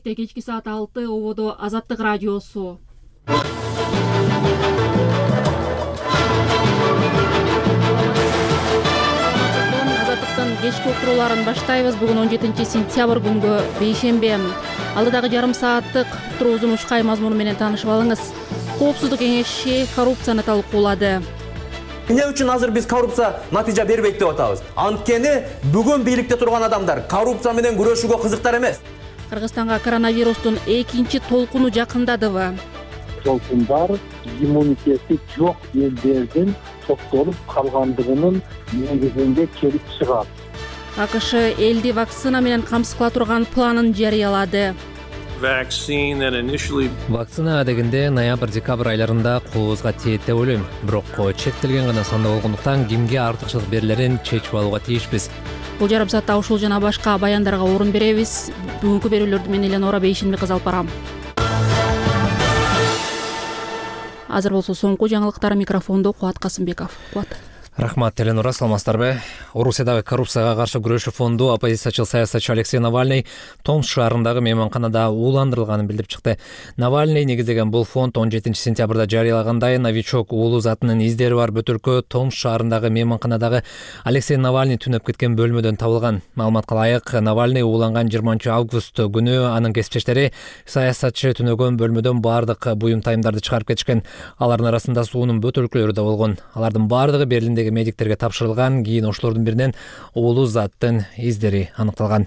Кечки саат 6 ободо Азаттык радиосу. Азаттыктын кечки уктурууларын баштайбыз. Бүгүн 17-сентябрь күнгө бейшембе. Алдыдагы жарым сааттык уктуруубуздун учкай мазмуну менен таанышып алыңыз. Коопсуздук кеңеши коррупцияны талкуулады. Эмне үчүн азыр биз коррупция натыйжа бербейт деп атабыз? Анткени бүгүн бийликте турган адамдар коррупция менен күрөшүүгө кызыктар эмес. Кыргызстанга коронавирустун экинчи толкуну жакындадыбы? Толкундар иммунитети жок элдердин топтолуп калгандыгынын негизинде келип чыгат. АКШ элди вакцина менен камсыздала турган планын жарыялады. Вакцина дегенде ноябрь-декабрь айларында колубузга тиет деп ойлойм. Бирок чектелген гана санда болгондуктан кимге артыкчылык берилерин чечип алууга тийишпиз. Бул жарым саатта ушул жана башка баяндарга орун беребиз. Бүгүнкү берүүлөрдү мен Эленора Бейшенбек алып барам. Азыр болсо соңку жаңылыктар, микрофондо Кубат Касымбеков. Кубат. Рахмат, Эленора, саламатсыздарбы? Орусиядагы коррупцияга каршы күрөшүү фонду оппозициячыл саясатчы Алексей Навальный Томск шаарындагы мейманканада ууландырылганын билдирип чыкты. Навальный негиздеген бул фонд 17-сентябрда жарыялагандай новичок уулу затынын издери бар бөтөлкө Томск шаарындагы мейманканадагы Алексей Навальный түнөп кеткен бөлмөдөн табылган. Маалыматка ылайык, Навальный ууланган 20-август күнү анын кесиптештери саясатчы түнөгөн бөлмөдөн бардык буюм тайымдарды чыгарып кетишкен. Алардын арасында суунун бөтөлкөлөрү да болгон. Алардын бардыгы Берлиндеги медиктерге тапшырылган. Кийин ошолордун биринен уулу заттын издери аныкталган.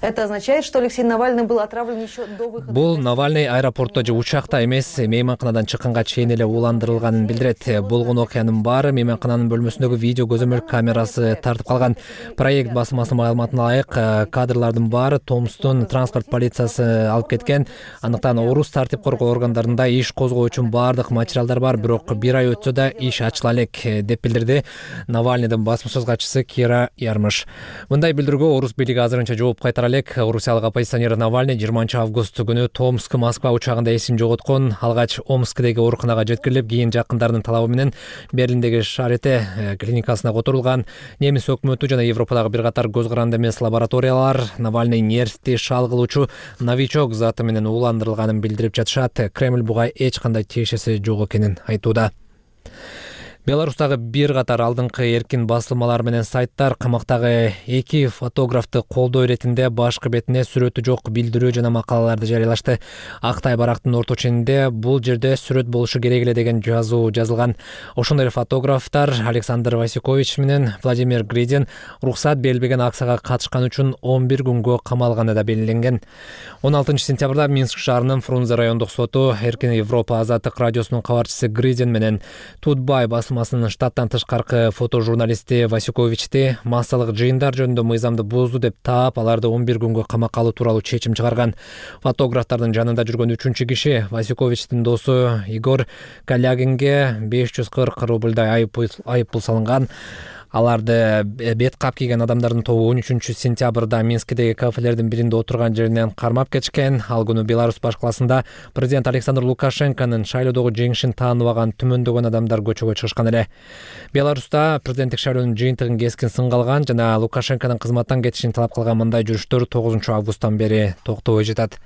Это означает, что Алексей Навальный был отравлен еще до выхода. Бул Навальный аэропортто же учакта эмес, мейманканадан чыкканга чейин эле ууландырылганын билдирет. Болгон окуянын баары мейманкананын бөлмөсүндөгү видео көзөмөл камерасы тартып калган. Проект басмасынын маалыматына ылайык, кадрлардын баары Томсктун транспорт полициясы алып кеткен. Андыктан орус тартип коргоо органдарында иш козгоо үчүн баардык материалдар бар, бирок бир ай өтсө да иш ачыла элек, деп билдирди Навальныйдын басма сөз катчысы Кира Ярмыш. Мындай билдирүүгө орус бийлиги азырынча жооп кайтара элек. Орусиялык оппозиционер Навальный 20-август күнү Томск Москва учагында эсин жоготкон. Алгач Омскдеги ооруканага жеткирилип, кийин жакындарынын талабы менен Берлиндеги Шарите клиникасына которулган. Немис өкмөтү жана Европадагы бир катар көз каранды эмес лабораториялар Навальный нервти шалгылуучу новичок заты менен ууландырылганын билдирип жатышат. Кремль буга эч кандай тиешеси жок экенин айтууда. Беларустагы бир катар алдыңкы эркин басылмалар менен сайттар камактагы 2 фотографты колдоо иретинде башкы бетине сүрөтү жок билдирүү жана макалаларды жарыялашты. Актай барактын орто ченинде бул жерде сүрөт болушу керек эле деген жазуу жазылган. Ошондой фотографтар Александр Васикович менен Владимир Гридин уруксат берилбеген акцияга катышкан үчүн 11 күнгө камалганы да белгиленген. 16-сентябрда Минск шаарынын Фрунзе райондук соту Эркин Европа Азаттык радиосунун кабарчысы Гридин менен Тутбай штаттан тышкаркы фотожурналисти Васиковичти массалык жыйындар жөнүндө мыйзамды бузду деп таап, аларды 11 күнгө камакка алуу тууралуу чечим чыгарган. Фотографтардын жанында жүргөн 3-чү киши Васиковичтин досу Игорь Калягинге 540 рубльдай айыппул салынган. Аларды бет кап кийген адамдардын тобу 13-сентябрда Минскидеги кафелердин биринде отурган жеринен кармап кетишкен. Ал күнү Беларусь башкаласында президент Александр Лукашенконун шайлоодогу жеңишин тааныбаган түмөндөгөн адамдар көчөгө чыгышкан эле. Беларуста президенттик шайлоонун жыйынтыгын кескин сынга алган жана Лукашенконун кызматтан кетишин талап кылган мындай жүрүштөр 9-августтан бери токтобой жатат.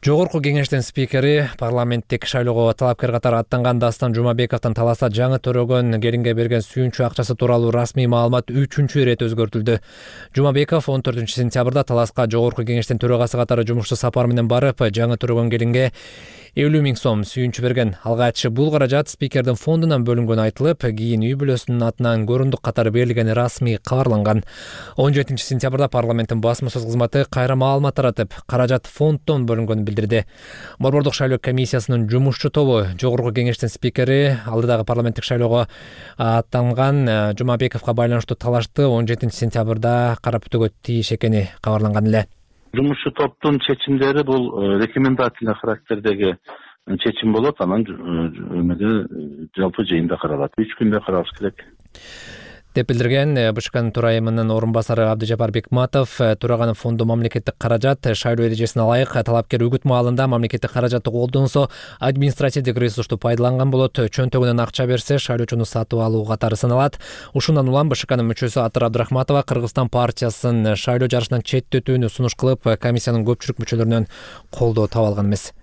Жогорку кеңештин спикери парламенттик шайлоого талапкер катары аттанган Дастан Жумабековдун таласта жаңы төрөгөн келинге берген сүйүнчү акчасы тууралуу расмий маалымат 3-чү ирет өзгөртүлдү. Жумабеков 14-сентябрда таласка жогорку кеңештин төрагасы катары жумушчу сапар менен барып, жаңы төрөгөн келинге 50 000 сом сүйүнчү берген. Алгач бул каражат спикердин фондунан бөлүнгөнү айтылып, кийин үй бүлөсүнүн атынан көрүндүк катары берилгени расмий кабарланган. 17-сентябрда парламенттин басма сөз кызматы кайра маалымат таратып, каражат фонддон бөлүнгөнүн билдирди. Борбордук шайлоо комиссиясынын жумушчу тобу жогорку кеңештин спикери алдыдагы парламенттик шайлоого аттанган Жумабековго байланыштуу талашты 17-сентябрда карап өтүүгө тийиш экени кабарланган эле. Жумушчу топтун чечимдери бул рекомендательный характердеги чечим болот, анан жалпы жыйында каралат. 3 күндө каралыш керек. деп билдирген БШКнын төрайымынын орун басары Абдыжапар Бекматов. Төраганы фонду мамлекеттик каражат шайлоо эрежесине ылайык талапкер үгүт маалында мамлекеттик каражатты колдонсо административдик ресурсту пайдаланган болот. Чөнтөгүнөн акча берсе шайлоочуну сатып алуу катары саналат. Ушундан улам БШКнын мүчөсү Атыр Абдрахматова Кыргызстан партиясын шайлоо жарышынан четтетүүнү сунуш кылып, комиссиянын көпчүлүк мүчөлөрүнөн колдоо таба алган эмес.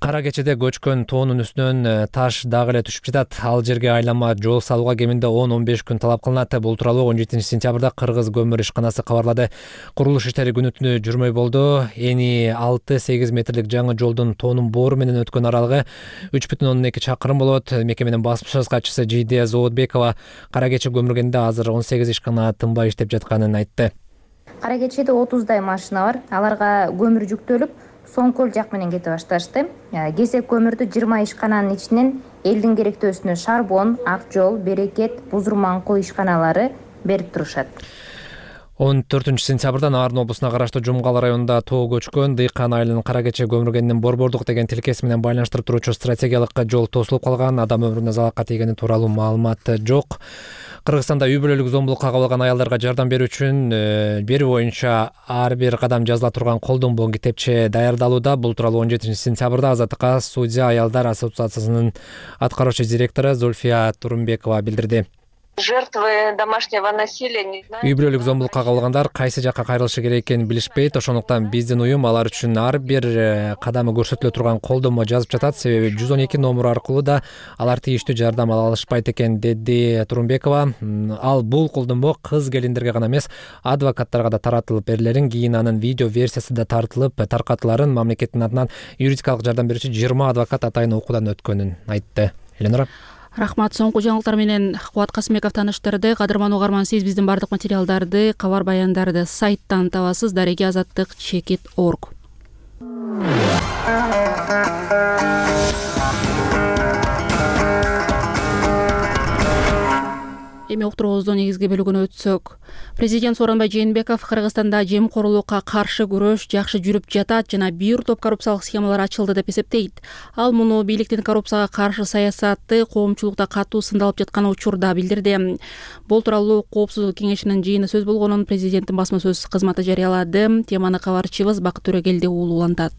Кара кечеде көчкөн тоонун үстүнөн таш дагы эле түшүп жатат. Ал жерге айланма жол салууга кеминде 10-15 күн талап кылынат. Бул тууралуу 17 сентябрда Кыргыз көмүр ишканасы кабарлады. Курулуш иштери күнү-түнү жүрмөй болду. Эни 6-8 метрлик жаңы жолдун тоонун боору менен өткөн аралыгы 3,2 чакырым болот. Мекеменин басмачы катчысы Жийде Зоотбекова кара кече көмүргенде азыр 18 ишкана тынбай иштеп жатканын айтты. Кара кечеде 30дай машина бар. Аларга көмүр жүктөлүп, Соңкөл жак менен кете башташты. Кесек көмүрдү 20 ишкананын ичинен элдин керектөөсүнө Шарбон, Ак жол, Берекет, Бузурманкул ишканалары берип турушат. 14 сентябрда Нарын облусуна караштуу Жумгал районунда тоо көчкөн Дыйкан айылынын кара кече көмүргенинин борбордук деген тилкеси менен байланыштырып туручу стратегиялык жол тосулуп калган. Адам өмүрүнө залалка тийгени тууралуу маалымат жок. Кыргызстанда үй бүлөлүк зомбулукка кабылган аялдарга жардам берүү үчүн берүү боюнча ар бир кадам жазыла турган колдонбоо китепче даярдалууда. Бул тууралуу 17 сентябрда Азаттыкка Судья аялдар ассоциациясынын аткаруучу директору Зульфия Турумбекова билдирди. Жертвы домашнего насилия не знают. Үй бүлөлүк зомбулукка кабылгандар кайсы жакка кайрылышы керек экенин билишпейт. Ошондуктан биздин уюм алар үчүн ар бир кадамы көрсөтүлө турган колдонмо жазып жатат. Себеби 112 номуру аркылуу да алар тийиштүү жардам ала алышпайт экен, деди Турумбекова. Ал бул колдонмо кыз келиндерге гана эмес, адвокаттарга да таратылып берилерин, кийин анын видео версиясы да таркатыларын, мамлекеттин атынан юридикалык жардам берүүчү 20 адвокат атайын окуудан өткөнүн айтты. Эленора. Рахмат. Соңку жаңылыктар менен Кубат Касымбеков таныштырды. Кадырман угарман, сиз биздин бардык материалдарды, кабар баяндарды сайттан табасыз. Дареги Азаттык _org. Эми уктуруубуздун негизги бөлүгүнө өтсөк, президент Сооронбай Жээнбеков Кыргызстанда жемкорлукка каршы күрөш жакшы жүрүп жатат жана бир топ коррупциялык схемалар ачылды деп эсептейт. Ал муну бийликтин коррупцияга каршы саясаты коомчулукта катуу сындалып жаткан учурда билдирди. Бул тууралуу Коопсуздук кеңешинин жыйыны сөз болгонун президенттин басма сөз кызматы жарыялады. Теманы кабарчыбыз Бакыт Төрөгелди улантат.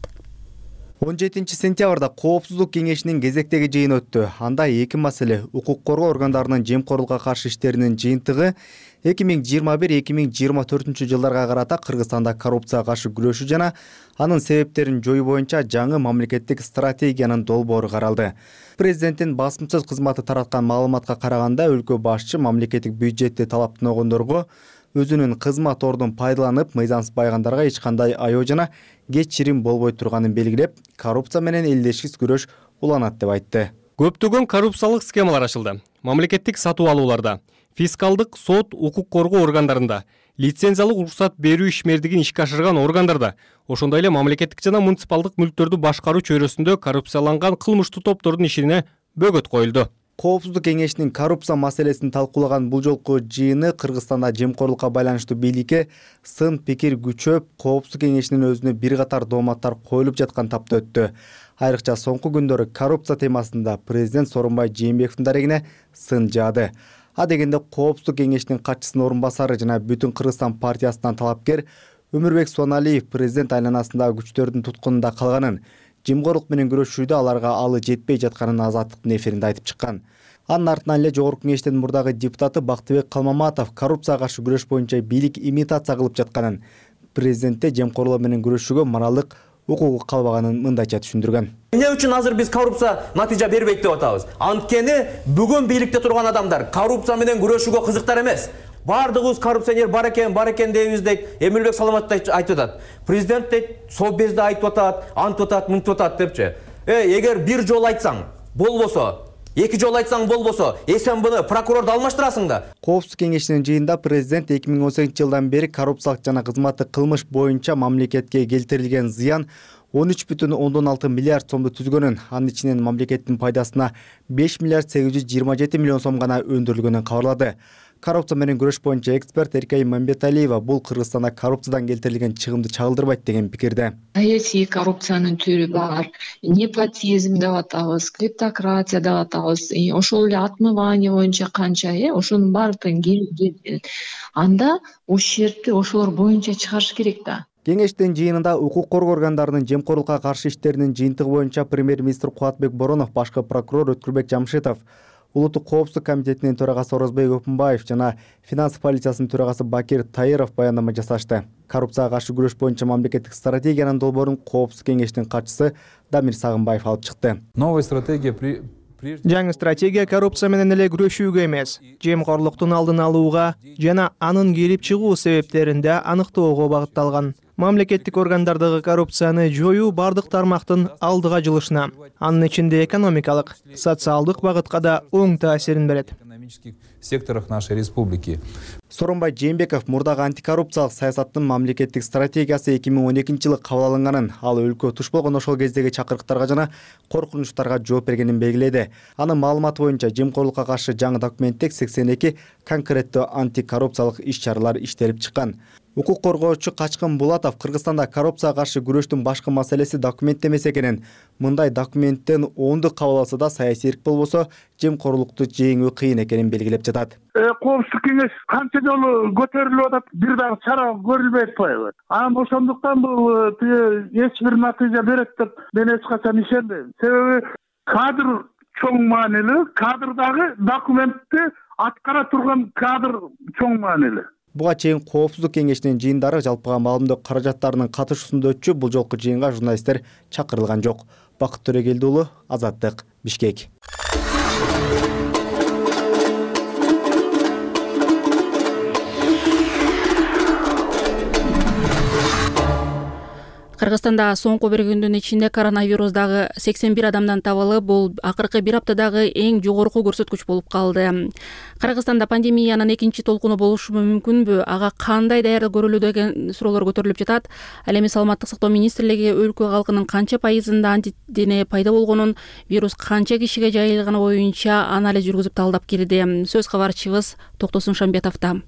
17 сентябрда Коопсуздук кеңешинин кезектеги жыйыны өттү. Анда эки маселе — укук коргоо органдарынын жемкорлукка каршы иштеринин жыйынтыгы 2021-2024 жылдарга карата Кыргызстанда коррупцияга каршы күрөшүү жана анын себептерин жоюу боюнча жаңы мамлекеттик стратегиянын долбоору каралды. Президенттин басма сөз кызматы тараткан маалыматка караганда, өлкө башчы мамлекеттик бюджетти талаптоогондорго өзүнүн кызмат ордун пайдаланып, мыйзамсыз байгандарга эч кандай аё жана кечирим болбой турганын белгилеп, коррупция менен элдешсиз күрөш уланат деп айтты. Көптөгөн коррупциялык схемалар ачылды. Мамлекеттик сатуу алууларда, фискалдык, сот, укук коргоо органдарында, лицензиялык уруксат берүү ишмердигин ишке ашырган органдарда, ошондой эле мамлекеттик жана муниципалдык мүлктөрдү башкаруу чөйрөсүндө коррупцияланган кылмыштуу топтордун ишине бөгөт коюлду. Коопсуздук кеңешинин коррупция маселесин талкуулаган бул жолку жыйыны Кыргызстанда жемкорлукка байланыштуу бийликке сын пикир күчөп, Коопсуздук кеңешинин өзүнө бир катар дооматтар коюлуп жаткан тапта өттү. Айрыкча соңку күндөрү коррупция темасында президент Сооронбай Жээнбековдун дарегине сын жаады. А дегенде Коопсуздук кеңешинин катчысынын орун басары жана Бүтүн Кыргызстан партиясынан талапкер Өмүрбек Суаналиев президент айланасындагы күчтөрдүн туткунунда калганын, жемкорлук менен күрөшүүдө аларга алы жетпей жатканын Азаттыктын эфиринде айтып чыккан. Анын артынан эле Жогорку кеңештин мурдагы депутаты Бактыбек Калмаматов коррупцияга каршы күрөш боюнча бийлик имитация кылып жатканын, президентте жемкорлук менен күрөшүүгө моралдык укугу калбаганын мындайча түшүндүргөн. Эмне үчүн азыр биз коррупция натыйжа бербейт деп атабыз? Анткени бүгүн бийликте турган адамдар коррупция менен күрөшүүгө кызыктар эмес. Бардыгыбыз коррупционер бар экен дейбиз дейт. Эмилбек Саламатов айтып атат. Президент дейт, Собезди айтып атат, антып атат, мынтып атат депчи. Эгер бир жол айтсаң болбосо, эки жол айтсаң болбосо, СМБны прокурорду алмаштырасың да. Коопсуздук кеңешинин жыйында президент 2018 жылдан бери коррупциялык жана кызматтык кылмыш боюнча мамлекетке келтирилген зыян 13,6 миллиард сомду түзгөнүн, анын ичинен мамлекеттин пайдасына 5 миллиард 827 миллион сом гана өндүрүлгөнүн кабарлады. Коррупция менен күрөш боюнча эксперт Эркай Мамбеталиева бул Кыргызстанда коррупциядан келтирилген чыгымды чагылдырбайт деген пикирде. Саясий коррупциянын түрү бар. Непотизм деп атабыз, клептократия деп атабыз. Ошол эле отмывание боюнча канча, ошонун баардыгын келип анда ущербти ошолор боюнча чыгарыш керек да. Кеңештин жыйынында укук коргоо органдарынын жемкорлукка каршы иштеринин жыйынтыгы боюнча премьер-министр Кубатбек Боронов, башкы прокурор Өткүрбек Жамшитов, Улуттук коопсуздук комитетинин төрагасы Орозбек Өпүнбаев жана финанс полициясынын төрагасы Бакир Таиров баяндама жасашты. Коррупцияга каршы күрөш боюнча мамлекеттик стратегиянын долбоорун Коопсуздук кеңештин катчысы Дамир Сагынбаев алып чыкты. Новая стратегия Жаңы стратегия коррупция менен эле күрөшүүгө эмес, жемкорлуктун алдын алууга жана анын келип чыгуу себептеринде аныктоого багытталган. Мамлекеттик органдардагы коррупцияны жоюу бардык тармактын алдыга жылышына, анын ичинде экономикалык, социалдык багытка да оң таасирин берет. экономических секторах нашей республики. Сооронбай Жээнбеков мурдагы антикоррупциялык саясаттын мамлекеттик стратегиясы 2012-жылы кабыл алынганын, ал өлкө туш болгон ошол кездеги чакырыктарга жана коркунучтарга жооп бергенин белгиледи. Анын маалыматы боюнча жемкорлукка каршы жаңы документте 82 конкреттүү антикоррупциялык иш-чаралар иштелип чыккан. Укук коргоочу Качкын Булатов Кыргызстанда коррупцияга каршы күрөштүн башкы маселеси документ эмес экенин, мындай документтен 10ду кабыл алса да саясий эрк болбосо жемкорлукту жеңүү кыйын экенин белгилеп жатат. Коопсуздук кеңеш канча жолу көтөрүлүп атат, бир дагы чара көрүлбөй атпайбы? Анан ошондуктан бул эч бир натыйжа берет деп мен эч качан ишенбейм. Себеби кадр чоң маанилүү, кадрдагы документти аткара турган кадр чоң маанилүү. Буга чейин Коопсуздук кеңешинин жыйындары жалпыга маалымдоо каражаттарынын катышуусунда өтчү. Бул жолку жыйынга журналисттер чакырылган жок. Бакыт Төрөгелди уулу, Азаттык, Бишкек. Кыргызстанда соңку бир күндүн ичинде коронавирус дагы 81 адамдан табылып, бул акыркы бир аптадагы эң жогорку көрсөткүч болуп калды. Кыргызстанда пандемиянын экинчи толкуну болушу мүмкүнбү? Ага кандай даярдык көрүлүүдө деген суроолор көтөрүлүп жатат. Ал эми Саламаттык сактоо министрлиги өлкө калкынын канча пайызында антидене пайда болгонун, вирус канча кишиге жайылганы боюнча анализ жүргүзүп талдап келди. Сөз кабарчыбыз Токтосун Шамбетовдо.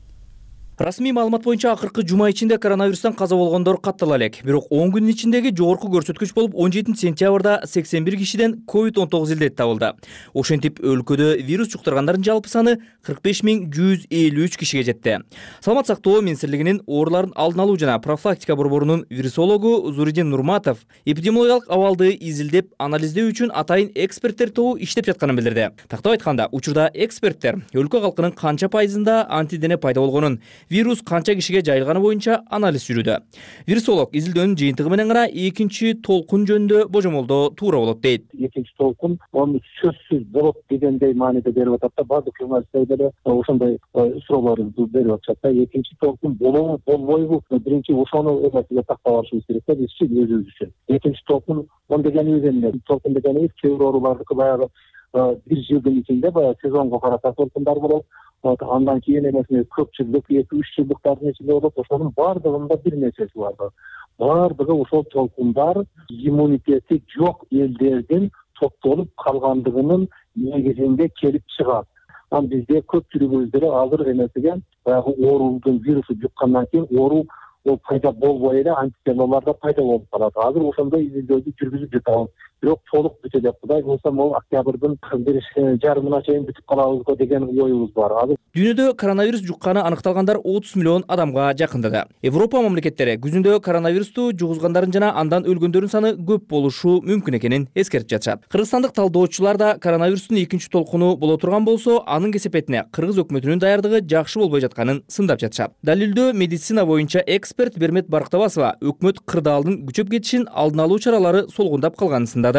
Расмий маалымат боюнча акыркы жума ичинде коронавирустан каза болгондор каттала элек. Бирок 10 күн ичиндеги жогорку көрсөткүч болуп 17 сентябрда 81 кишиден COVID-19 илдет табылды. Ошентип өлкөдө вирус жуктургандардын жалпы саны 45153 кишиге жетти. Саламат сактоо министрлигинин оорулардын алдын алуу жана профилактика борборунун вирусологу Зуридин Нурматов эпидемиологиялык абалды изилдеп анализдөө үчүн атайын эксперттер тобу иштеп жатканын билдирди. Тактап айтканда, учурда эксперттер өлкө калкынын канча пайызында антидене пайда болгонун, вирус канча кишиге жайылганы боюнча анализ жүрүүдө. Вирусолог изилдөөнүн жыйынтыгы менен гана экинчи толкун жөнүндө божомолдоо туура болот дейт. Экинчи толкун оны сөзсүз болот дегендей мааниде берип атат да, баардык журналисттер деле ошондой суроолорду берип атышат да. Экинчи толкун болобу, болбойбу? Биринчи ошону эмесине тактап алышыбыз керек да, биз өзүбүз үчүн. Экинчи толкун дегенибиз эмне? Толкун дегенибиз кээ бир оорулардыкы баягы бир жылдын ичинде баягы сезонго карата толкундар болот. Андан кийин эмесине көпчүлдүк 2-3 жылдыктардын ичинде болот. Ошонун баардыгында бир нерсеси бар. Баардыгы ошол толкундар иммунитети жок элдердин топтолуп калгандыгынын негизинде келип чыгат. Анан бизде көпчүлүгүбүз деле азыр эмесиге баягы оорудун вирусу жуккандан кийин оору ол пайда болбой эле антителолордо пайда болуп калат. Азыр ошондой изилдөөдү жүргүзүп жатабыз. Бирок толук бүтө деп, Кудай болсо могу октябрдын бир жарымына чейин бүтүп калабызго деген оюбуз бар. Азыр дүйнөдө коронавирус жукканы аныкталгандар 30 миллион адамга жакындады. Европа мамлекеттери күзүндө коронавирусту жугузгандардын жана андан өлгөндөрдүн саны көп болушу мүмкүн экенин эскертип жатышат. Кыргызстандык талдоочулар да коронавирустун экинчи толкуну боло турган болсо, анын кесепетине кыргыз өкмөтүнүн даярдыгы жакшы болбой жатканын сындап жатышат. Далилдөө медицина боюнча эксперт Бермет Барктабасова өкмөт кырдаалдын күчөп кетишин алдын алуу чаралары солгундап калганын сындады.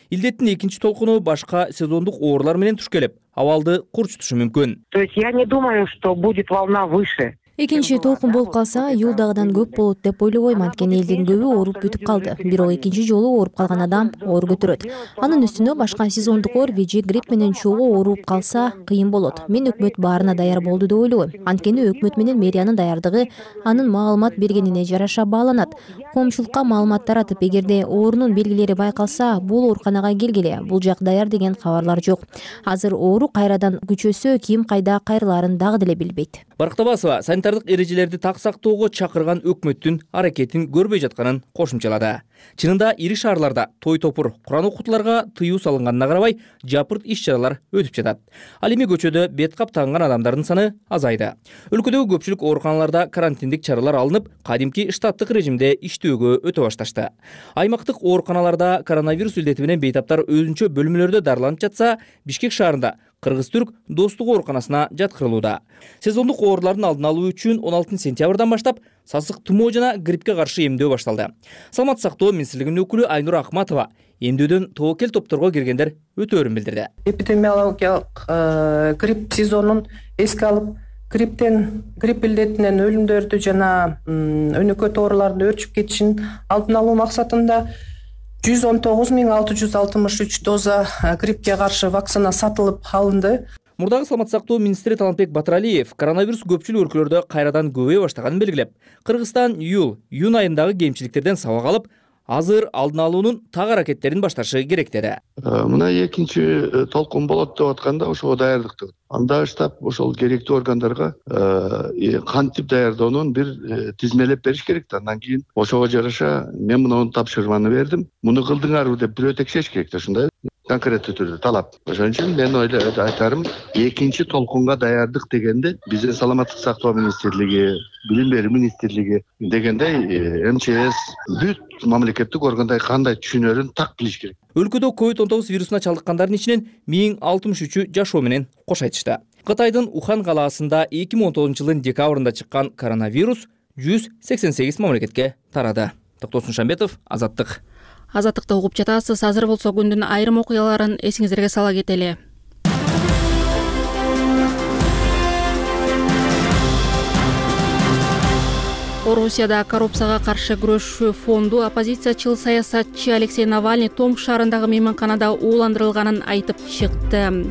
Илдеттин экинчи толкуну башка сезондук оорулар менен туш келип, абалды курчутушу мүмкүн. То есть я не думаю, что будет волна выше. Экинчи толкун болуп калса, июлдагыдан көп болот деп ойлобойм, анткени элдин көбү ооруп бүтүп калды. Бирок экинчи жолу ооруп калган адам оор көтөрөт. Анын үстүнө башка сезондук оор ВИЧ грипп менен чогуу ооруп калса кыйын болот. Мен өкмөт баарына даяр болду деп ойлойм. Анткени өкмөт менен мэриянын даярдыгы анын маалымат бергенине жараша бааланат. Коомчулукка маалымат таратып, эгерде оорунун белгилери байкалса, бул ооруканага келгиле, бул жак даяр деген кабарлар жок. Азыр оору кайрадан күчөсө, ким кайда кайрылаарын дагы деле билбейт. Барктабасова санитардык эрежелерди так сактоого чакырган өкмөттүн аракетин көрбөй жатканын кошумчалады. Чынында ири шаарларда той топур, Куран окутууларга тыюу салынганына карабай, жапырт иш-чаралар өтүп жатат. Ал эми көчөдө бет каптанган адамдардын саны азайды. Өлкөдөгү көпчүлүк ооруканаларда карантиндик чаралар алынып, кадимки штаттык режимде иштөөгө өтө башташты. Аймактык ооруканаларда коронавирус илдети менен бейтаптар өзүнчө бөлмөлөрдө дарыланып жатса, Бишкек шаарында Кыргыз-Түрк достук ооруканасына жаткырылууда. Сезондук оорулардын алдын алуу үчүн 16 сентябрдан баштап сасык тумоо жана гриппке каршы эмдөө башталды. Саламаттык сактоо министрлигинин өкүлү Айнура Акматова эмдөөдөн тобокел топторго киргендер өтөөрүн билдирди. Эпидемиологиялык грипп сезонун эске алып, грипп илдетинен өлүмдөрдү жана өнөкөт оорулардын өрчүп кетишин алдын алуу максатында 119.663 доза гриппке каршы вакцина сатылып алынды. Мурдагы саламаттык сактоо министри Талантбек Батыралиев коронавирус көпчүлүк өлкөлөрдө кайрадан көбөйө баштаганын белгилеп, Кыргызстан июнь айындагы кемчиликтерден сабак алып, азыр алдын алуунун так аракеттерин башташы керек деди. Мына экинчи толкун болот деп атканда ошого даярдык. Анда штаб ошол керектүү органдарга кантип даярдоонун бир тизмелеп бериш керек да. Андан кийин ошого жараша мен муну тапшырманы бердим. Муну кылдыңарбы деп бирөө текшериш керек да, ушундай конкреттүү түрдө талап. Ошон үчүн мен айтарым, экинчи толкунга даярдык дегенде биздин саламаттык сактоо министрлиги, билим берүү министрлиги дегендей МЧС бүт мамлекеттик органдар кандай түшүнөрүн так билиш керек. Өлкөдө COVID-19 вирусуна чалдыккандардын ичинен 1063-ü жашоо менен кош айтышты. Кытайдын Ухан калаасында 2019 жылдын декабрында чыккан коронавирус 188 мамлекетке тарады. Токтосун Шамбетов, Азаттык. Азаттыкты угуп жатасыз. Азыр болсо күндүн айрым окуяларын эсиңиздерге сала кетели. Орусияда коррупцияга каршы күрөшүү фонду оппозициячыл саясатчы Алексей Навальный Томск шаарындагы мейманканада ууландырылганын айтып чыкты.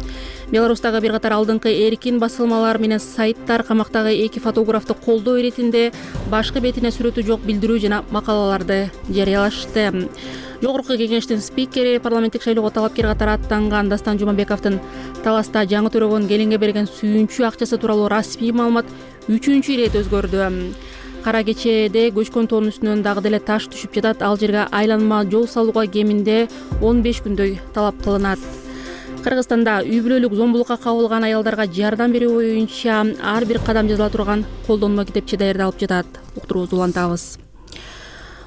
Беларустагы бир катар алдыңкы эркин басылмалар менен сайттар камактагы 2 фотографты колдоо иретинде башкы бетине сүрөтү жок билдирүү жана макалаларды жарыялашты. Жогорку кеңештин спикери, парламенттик шайлоого талапкер катары аттанган Дастан Жумабековдун таласта жаңы төрөгөн келинге берген сүйүнчү акчасы тууралуу расмий маалымат 3-үncü ирет өзгөрдү. Кара кечеде көчкөн тоонун үстүнөн дагы деле таш түшүп жатат. Ал жерге айланма жол салууга кеминде 15 күндөй талап кылынат. Кыргызстанда үй бүлөлүк зомбулукка кабылган аялдарга жардам берүү боюнча ар бир кадам жазыла турган колдонмо китепче даярдалып жатат. Уктуруубузду улантабыз.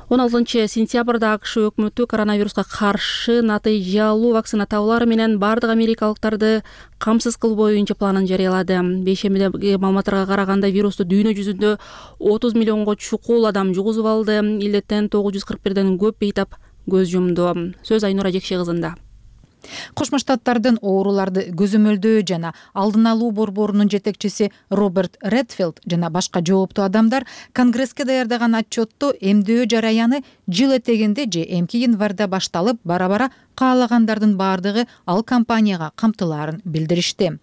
16 сентябрда АКШ өкмөтү коронавируска каршы натыйжалуу вакцина табуулары менен бардык америкалыктарды камсыз кылуу боюнча планын жарыялады. Бейшембидеги маалыматтарга караганда вирусту дүйнө жүзүндө 30 миллионго чукул адам жугузуп алды. Илдеттен 941ден көп бейтап көз жумду. Сөз Айнура Жекше кызында. Кошмо Штаттардын ооруларды көзөмөлдөө жана алдын алуу борборунун жетекчиси Роберт Редфилд жана башка жооптуу адамдар Конгресске даярдаган отчетто эмдөө жараяны жыл этегинде же эмки январда башталып, бара-бара каалагандардын бардыгы ал кампанияга камтылаарын билдиришти.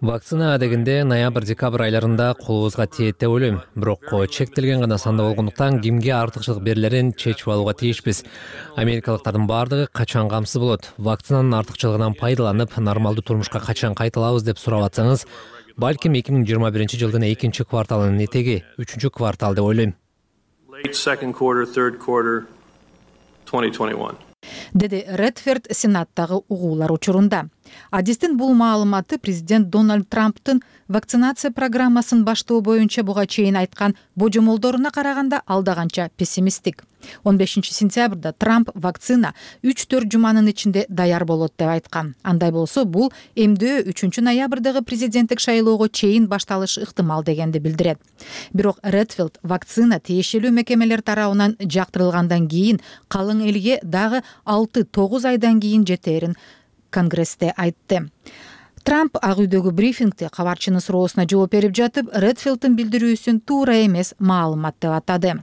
Вакцина адегинде ноябрь-декабрь айларында колубузга тиет деп ойлойм. Бирок чектелген гана санда болгондуктан кимге артыкчылык берилерин чечип алууга тийишпиз. Америкалыктардын бардыгы качан камсыз болот? Вакцинанын артыкчылыгынан пайдаланып, нормалдуу турмушка качан кайталабыз деп сурап атсаңыз, балким 2021 жылдын 2 кварталынын этеги, 3 квартал деп ойлойм. Деди Редфилд Сенаттагы угуулар учурунда. Адистин бул маалыматы президент Дональд Трамптын вакцинация программасын баштоо боюнча буга чейин айткан божомолдоруна караганда алдаганча пессимисттик. 15 сентябрда Трамп вакцина 3-4 жуманын ичинде даяр болот деп айткан. Андай болсо бул эмдөө 3 ноябрдагы президенттик шайлоого чейин башталышы ыктымал дегенди билдирет. Бирок Редфилд вакцина тиешелүү мекемелер тарабынан жактырылгандан кийин калың элге дагы 6-9 айдан кийин жетерин Конгрессте айтты. Трамп Ак үйдөгү брифингде кабарчынын суроосуна жооп берип жатып, Редфилддин билдирүүсүн туура эмес маалымат деп атады.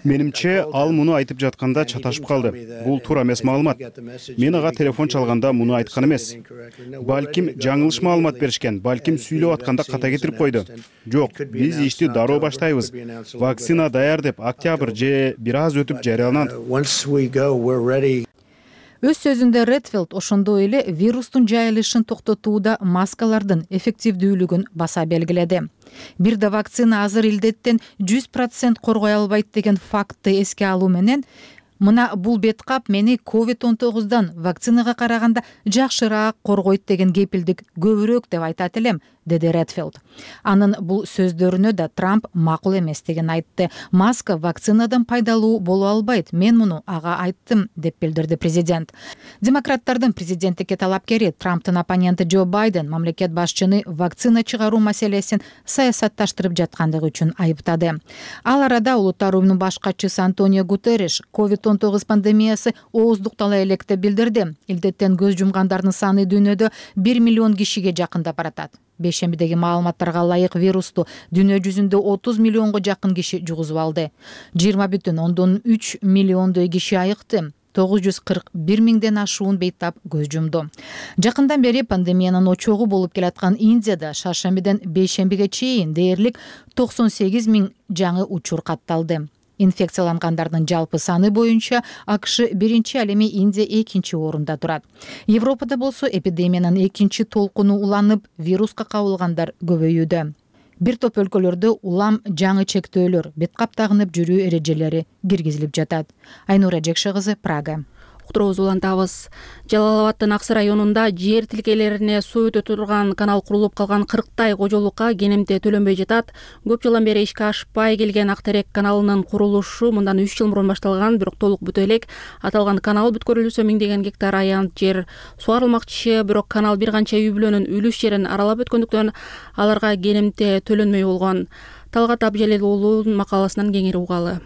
Менимче, ал муну айтып жатканда чаташып калды. Бул туура эмес маалымат. Мен ага телефон чалганда муну айткан эмес. Балким жаңылыш маалымат беришкен, балким сүйлөп атканда ката кетирип койду. Жок, биз ишти дароо баштайбыз. Вакцина даяр деп октябрь же бир аз өтүп жарыяланат. Өз сөзүндө Редфилд ошондой эле вирустун жайылышын токтотууда маскалардын эффективдүүлүгүн баса белгиледи. Бир да вакцина азыр илдеттен 100% коргой албайт деген фактты эске алуу менен, мына бул бет кап мени COVID-19дан вакцинага караганда жакшыраак коргойт деген кепилдик көбүрөөк деп айтат элем, деди Редфилд. Анын бул сөздөрүнө да Трамп макул эместигин айтты. Маска вакцинадан пайдалуу боло албайт. Мен муну ага айттым, деп билдирди президент. Демократтардын президенттикке талапкери Трамптын оппоненти Джо Байден мамлекет башчыны вакцина чыгаруу маселесин саясатташтырып жаткандыгы үчүн айыптады. Ал арада Улуттар уюмунун баш катчысы Антонио Гутерриш COVID-19 пандемиясы ооздуктала элек деп билдирди. Илдеттен көз жумгандардын саны дүйнөдө 1 миллион кишиге жакындап баратат. Бейшембидеги маалыматтарга ылайык вирусту дүйнө жүзүндө 30 миллионго жакын киши жугузуп алды. 20,3 миллиондой киши айыкты. 941 миңден ашуун бейтап көз жумду. Жакындан бери пандемиянын очогу болуп келаткан Индияда шаршембиден бейшембиге чейин дээрлик 98 миң жаңы учур катталды. Инфекциялангандардын жалпы саны боюнча АКШ биринчи, ал эми Индия экинчи орунда турат. Европада болсо эпидемиянын экинчи толкуну уланып, вируска кабылгандар көбөйүүдө. Бир топ өлкөлөрдө улам жаңы чектөөлөр, бет кап тагынып жүрүү эрежелери киргизилип жатат. Айнура Жекше кызы, Прага. Уктуруубузду улантабыз. Жалал-Абаддын Аксыр районунда жер тилкелерине суу өтө турган канал курулуп калган 40 кожолукка кенемте төлөнбөй жатат. Көп жылдан бери ишке ашпай келген Актерек каналынын курулушу мындан 3 жыл мурун башталган, бирок толук бүтө элек. Аталган канал бүткөрүлсө миңдеген гектар аянт жер сугарылмакчы, бирок канал бир канча үй бүлөнүн үлүш жерин аралап өткөндүктөн аларга кенемте төлөнмөй болгон. Талгат Абжалел уулунун макаласынан кеңири угалы.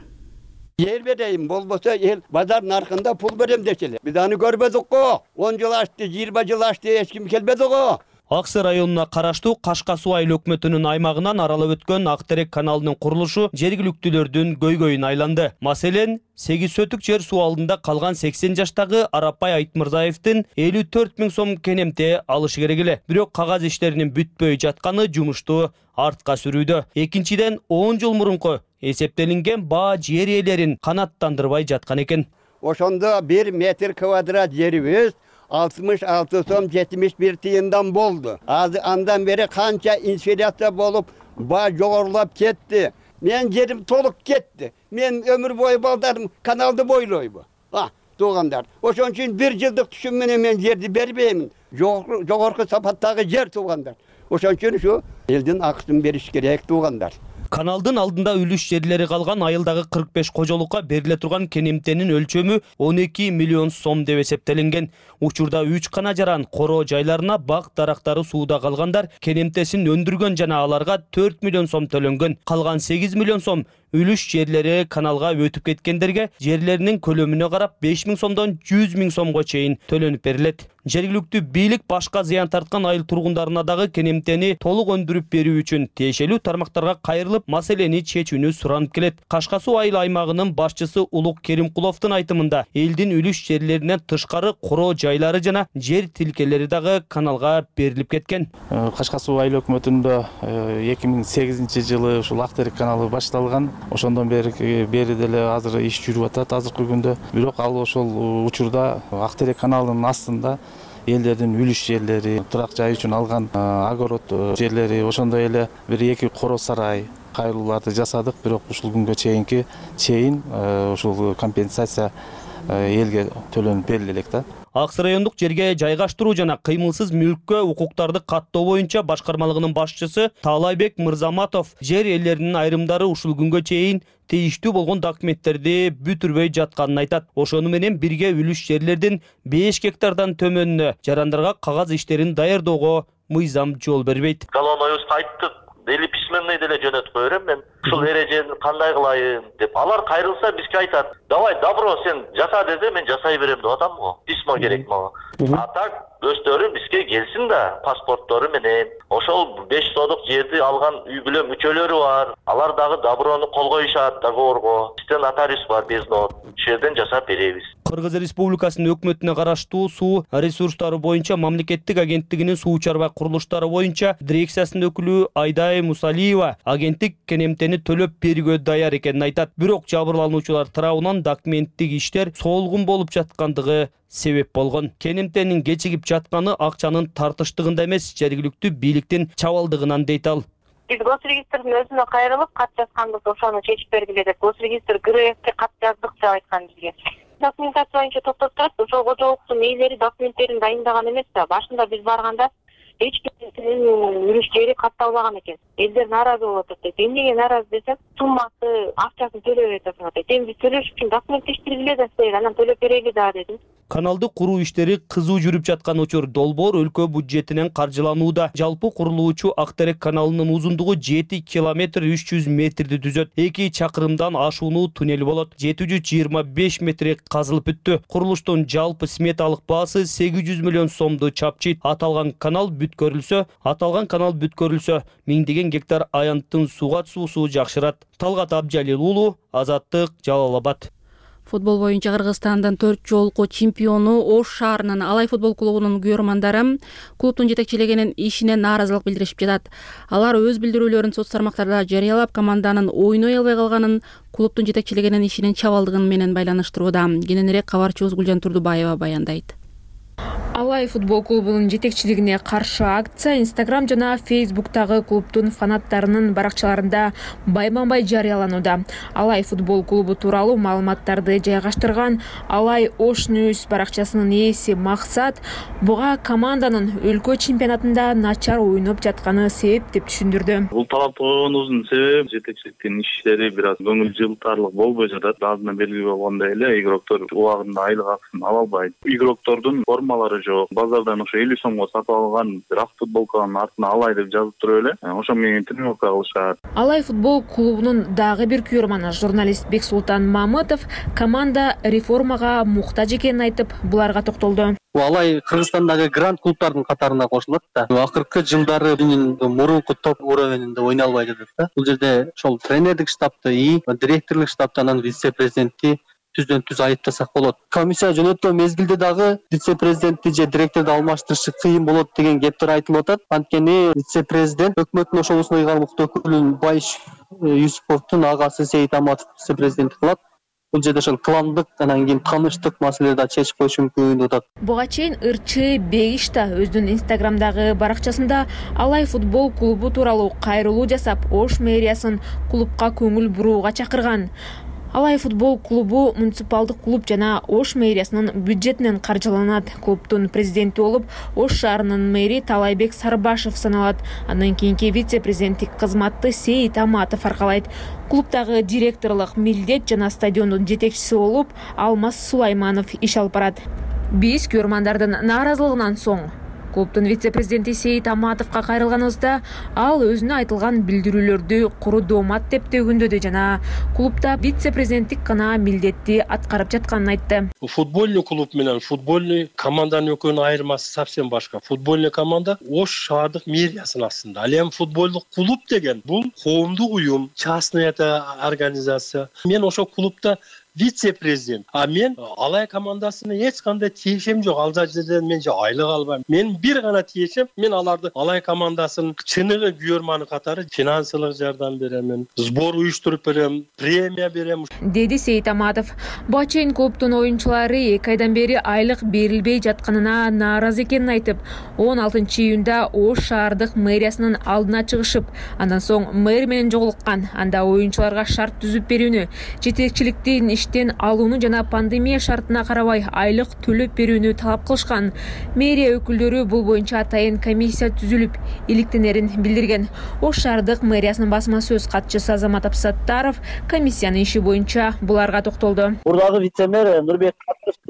Ел берейин, болбосо ел базар наркында пул берем дешеле. Биз аны көрбөдүк го. 10 жыл ашты, 20 жыл ашты, эч ким келбеди го. Аксы районуна караштуу Кашка суу айыл өкмөтүнүн аймагынан аралап өткөн Актерек каналынын курулушу жергиликтүүлөрдүн көйгөйүн айланды. Маселен, 8 сөтүк жер суу алдында калган 80 жаштагы Арапбай Айтмырзаевдин 54 миң сом кенемте алышы керек эле. Бирок кагаз иштеринин бүтпөй жатканы жумушту артка сүрүүдө. Экинчиден 10 жыл мурунку эсептелинген баа жер ээлерин канаттандырбай жаткан экен. Ошондо 1 метр квадрат жерибиз 66 сом 71 тыйындан болду. Андан бери канча инфляция болуп, баа жогорулап кетти. Мен жерим толук кетти. Мен өмүр бою балдарым каналды бойлойбу. Туугандар. Ошон үчүн 1 жылдык түшүм менен мен жерди бербеймин. Жогорку сапаттагы жер туугандар. Ошон үчүн ушу элдин акчасын бериш керек туугандар. Каналдын алдында үлүш жерлери калган айылдагы 45 кожолукка бериле турган кенемтенин өлчөмү 12 миллион сом деп эсептелинген. Учурда 3 кана жаран короо жайларына бак дарактары сууда калгандар кенемтесин өндүргөн жана аларга 4 миллион сом төлөнгөн. Калган 8 миллион сом үлүш жерлери каналга өтүп кеткендерге жерлеринин көлөмүнө карап 5 миң сомдон 100 миң сомго чейин төлөнүп берилет. Жергиликтүү бийлик башка зыян тарткан айыл тургундарына дагы кенемтени толук өндүрүп берүү үчүн тиешелүү тармактарга кайрылып, маселени чечүүнү суранып келет. Кашка суу айыл аймагынын башчысы Улук Керимкуловдун айтымында, элдин үлүш жерлеринен тышкары короо жайлары жана жер тилкелери дагы каналга берилип кеткен. Кашка суу айыл өкмөтүндө 2008-жылы ушул Актерек каналы башталган. Ошондон бери деле азыр иш жүрүп атат азыркы күндө. Бирок ал ошол учурда Актерек каналынын астында элдердин үлүш жерлери, турак жай үчүн алган огород жерлери, ошондой эле 1-2 коро сарай кайрылууларды жасадык. Бирок ушул күнгө чейин ушул компенсация элге төлөнүп бериле элек да. Аксы райондук жерге жайгаштыруу жана кыймылсыз мүлккө укуктарды каттоо боюнча башкармалыгынын башчысы Таалайбек Мырзаматов жер ээлеринин айрымдары ушул күнгө чейин тийиштүү болгон документтерди бүтүрбөй жатканын айтат. Ошону менен бирге үлүш жерлердин 5 гектардан төмөнүнө жарандарга кагаз иштерин даярдоого мыйзам жол бербейт. Калообайыбызга айттык, или письменный деле жөнөтүп кое берем мен. Ушул эрежени кандай кылайын деп. Алар кайрылса бизге айтат. Давай, добро, сен жаса десе мен жасай берем деп атам го. Письмо керек мага. А так өздөрү бизге келсин да, паспорттору менен. Ошол 5 соток жерди алган үй бүлө мүчөлөрү бар. Алар дагы доброну кол коюшат договорго. Бизден нотариус бар, безнот. Ошол жерден жасап беребиз. Кыргыз Республикасынын өкмөтүнө караштуу суу ресурстары боюнча мамлекеттик агенттигинин суу чарба курулуштары боюнча дирекциясынын өкүлү Айдай Мусалиева агенттик кенемтени төлөп берүүгө даяр экенин айтат. Бирок жабырлануучулар тарабынан документтик иштер солгун болуп жаткандыгы себеп болгон. Кенемтенин кечигип жатканы акчанын тартыштыгында эмес, жергиликтүү бийликтин чабалдыгынан дейт ал. Биз госрегистрдин өзүнө кайрылып кат жазганбыз, ошону чечип бергиле деп. Госрегистр ГРФке кат жаздык деп айткан бизге. Документация боюнча токтоттурат, ошол кожолуктун ээлери документтерин дайындаган эмес да. Башында биз барганда эч кимдин үрүш жери катталбаган экен. Элдер нааразы болуп атат. Эмнеге нааразы десем, суммасы, акчасын төлөбөй атат. Эми биз төлөш үчүн документтештиргиле да, анан төлөп берели да дедим. Каналды куруу иштери кызуу жүрүп жаткан учур долбоор өлкө бюджетинен каржыланууда. Жалпы курулуучу Актерек каналынын узундугу 7 километр 300 метрди түзөт. 2 чакырымдан ашуунуу туннель болот. 725 метр казылып бүттү. Курулуштун жалпы сметалык баасы 800 миллион сомду чапчыйт. Аталган канал бүткөрүлсө, миңдеген гектар аянттын сууга суусу жакшырат. Талгат Абжалил уулу, Азаттык, Жалал Абад. Футбол боюнча Кыргызстандын 4 жолку чемпиону Ош шаарынын Алай футбол клубунун көрөрмандары клубдун жетекчилигинин ишине нааразылык билдиришип жатат. Алар өз билдирүүлөрүн соц тармактарда жарыялап, команданын ойной албай калганын, клубдун жетекчилигинин ишинин чабалдыгы менен байланыштырууда. Кененирээк кабарчыбыз Гүлжан Турдубаева баяндайт. Алай футбол клубунун жетекчилигине каршы акция Instagram жана Facebook'тагы клубдун фанаттарынын баракчаларында байма-бай жарыяланууда. Алай футбол клубу тууралуу маалыматтарды жайгаштырган Алай Ош News баракчасынын ээси Максат буга команданын өлкө чемпионатында начар ойноп жатканы себеп деп түшүндүрдү. Бул талапты койгонубуздун себеби жетекчиликтин иштери бир аз көңүл жылтарлык болбой жатат. Алдынан белгилүү болгондой эле игроктор убагында айлык акысын ала албайт. Игроктордун формалары жок. Базардан ошо 50 сомго сатып алган бир ак футболканын артына Алай деп жазып туруп эле, ошо менен тренировка кылышат. Алай футбол клубунун дагы бир көрөрманы журналист Бексултан Мамытов команда реформага муктаж экенин айтып, буларга токтолду. Алай Кыргызстандагы гранд клубтардын катарына кошулат да. Акыркы жылдары мурунку топ уровенинде ойной албай жатат да. Бул жерде ошол тренердик штабты и директорлук штабты анан вице-президентти түздөн түз айыптасак болот. Комиссия жөнөткөн мезгилде дагы вице-президентти же директорду алмаштырышы кыйын болот деген кептер айтылып атат. Анткени вице-президент өкмөттүн ошолусуна ыйгарым өкүлүн Байш Юсуповдун агасы Сейит Аматов вице-президент кылат. Бул жерде ошол кландык, анан кийин тааныштык маселелерди чечип коюшу мүмкүн деп атат. Буга чейин ырчы Бегиш да өзүнүн Instagram'дагы баракчасында Алай футбол клубу тууралуу кайрылуу жасап, Ош мэриясын клубка көңүл бурууга чакырган. Алай футбол клубу муниципалдык клуб жана Ош мэриясынын бюджетинен каржыланат. Клубдун президенти болуп Ош шаарынын мэри Талайбек Сарбашев саналат. Андан кийинки вице-президенттик кызматты Сейит Аматов аркалайт. Клубдагы директорлук милдет жана стадиондун жетекчиси болуп Алмаз Сулайманов иш алып барат. Биз көрөрмандардын нааразылыгынан соң клубдун вице-президенти Сейит Аматовго кайрылганыбызда ал өзүнө айтылган билдирүүлөрдү куру доомат деп төгүндөдү жана клубда вице-президенттик гана милдетти аткарып жатканын айтты. Футбольный клуб менен футбольный команданын экөөнүн айырмасы совсем башка. Футбольный команда Ош шаардык мэриясынын астында. Ал эми футболдук клуб деген бул коомдук уюм, частная организация. Мен ошол клубда вице-президент. А мен Алай командасына эч кандай тиешем жок. Ал жерден мен айлык албайм. Мен бир гана тиешем, мен аларды Алай командасынын чыныгы көрөрманы катары финансылык жардам берем, сбор уюштуруп берем, премия берем, деди Сейит Аматов. Буга чейин клубдун оюнчулары 2 айдан бери айлык берилбей жатканына нааразы экенин айтып, 16 июнда Ош шаардык мэриясынын алдына чыгышып, андан соң мэр менен жолуккан. Анда оюнчуларга шарт түзүп берүүнү, жетекчиликтин иштен алууну жана пандемия шартына карабай айлык төлөп берүүнү талап кылышкан. Мэрия өкүлдөрү бул боюнча атайын комиссия түзүлүп, иликтенерин билдирген. Ош шаардык мэриясынын басма сөз катчысы Азамат Абсаттаров комиссиянын иши боюнча буларга токтолду. Бурдагы вице-мэр Нурбек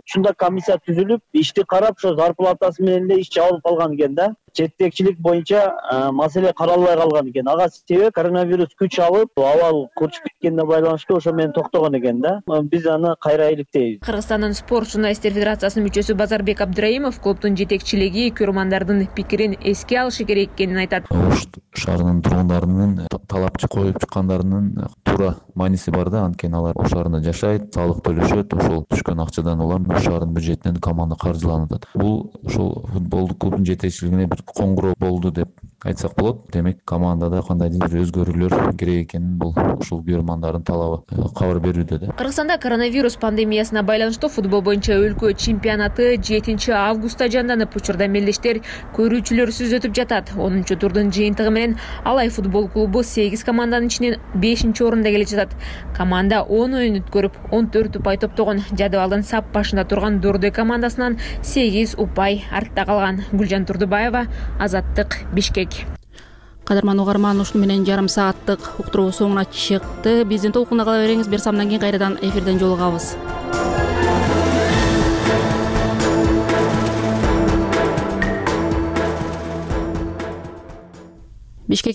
ушундай комиссия түзүлүп, ишти карап, ошо зарплатасы менен эле иш алып алган экен да. жетекчилик боюнча маселе каралбай калган экен. Ага себеп коронавирус күч алып, абал курчуп кеткенине байланыштуу ошо менен токтогон экен да. Биз аны кайра иликтейбиз. Кыргызстандын спорт журналисттер федерациясынын мүчөсү Базарбек Абдыраимов клубдун жетекчилиги көрөрмандардын пикирин эске алышы керек экенин айтат. Ош шаарынын тургундарынын талап коюп чыккандарынын туура мааниси бар да, анткени алар Ош шаарында жашайт, салык төлөшөт, ошол түшкөн акчадан улам Ош шаарынын бюджетинен команда каржыланып атат. Бул ошол футболдук клубдун жетекчилигине бир коңгуроо болду деп айтсак болот. Демек командада кандайдыр бир өзгөрүүлөр керек экенин бул ушул көрөрмандардын талабы кабар берүүдө да. Кыргызстанда коронавирус пандемиясына байланыштуу футбол боюнча өлкө чемпионаты 7 августта жанданып, учурда мелдештер көрүүчүлөрсүз өтүп жатат. 10-турдун жыйынтыгы менен Алай футбол клубу 8 команданын ичинен 5-орунда келе жатат. Команда 10 оюн өткөрүп, 14 упай топтогон. Жадыбалдын сап башында турган Дордой командасынан 8 упай артта калган. Гүлжан Турдубаева, Азаттык, Бишкек. Кадырман угарман, ушуну менен жарым сааттык уктуруу соңуна чыкты. Биздин толкунда кала бериңиз. Бир самдан кийин кайрадан эфирден жолугабыз. Бишкек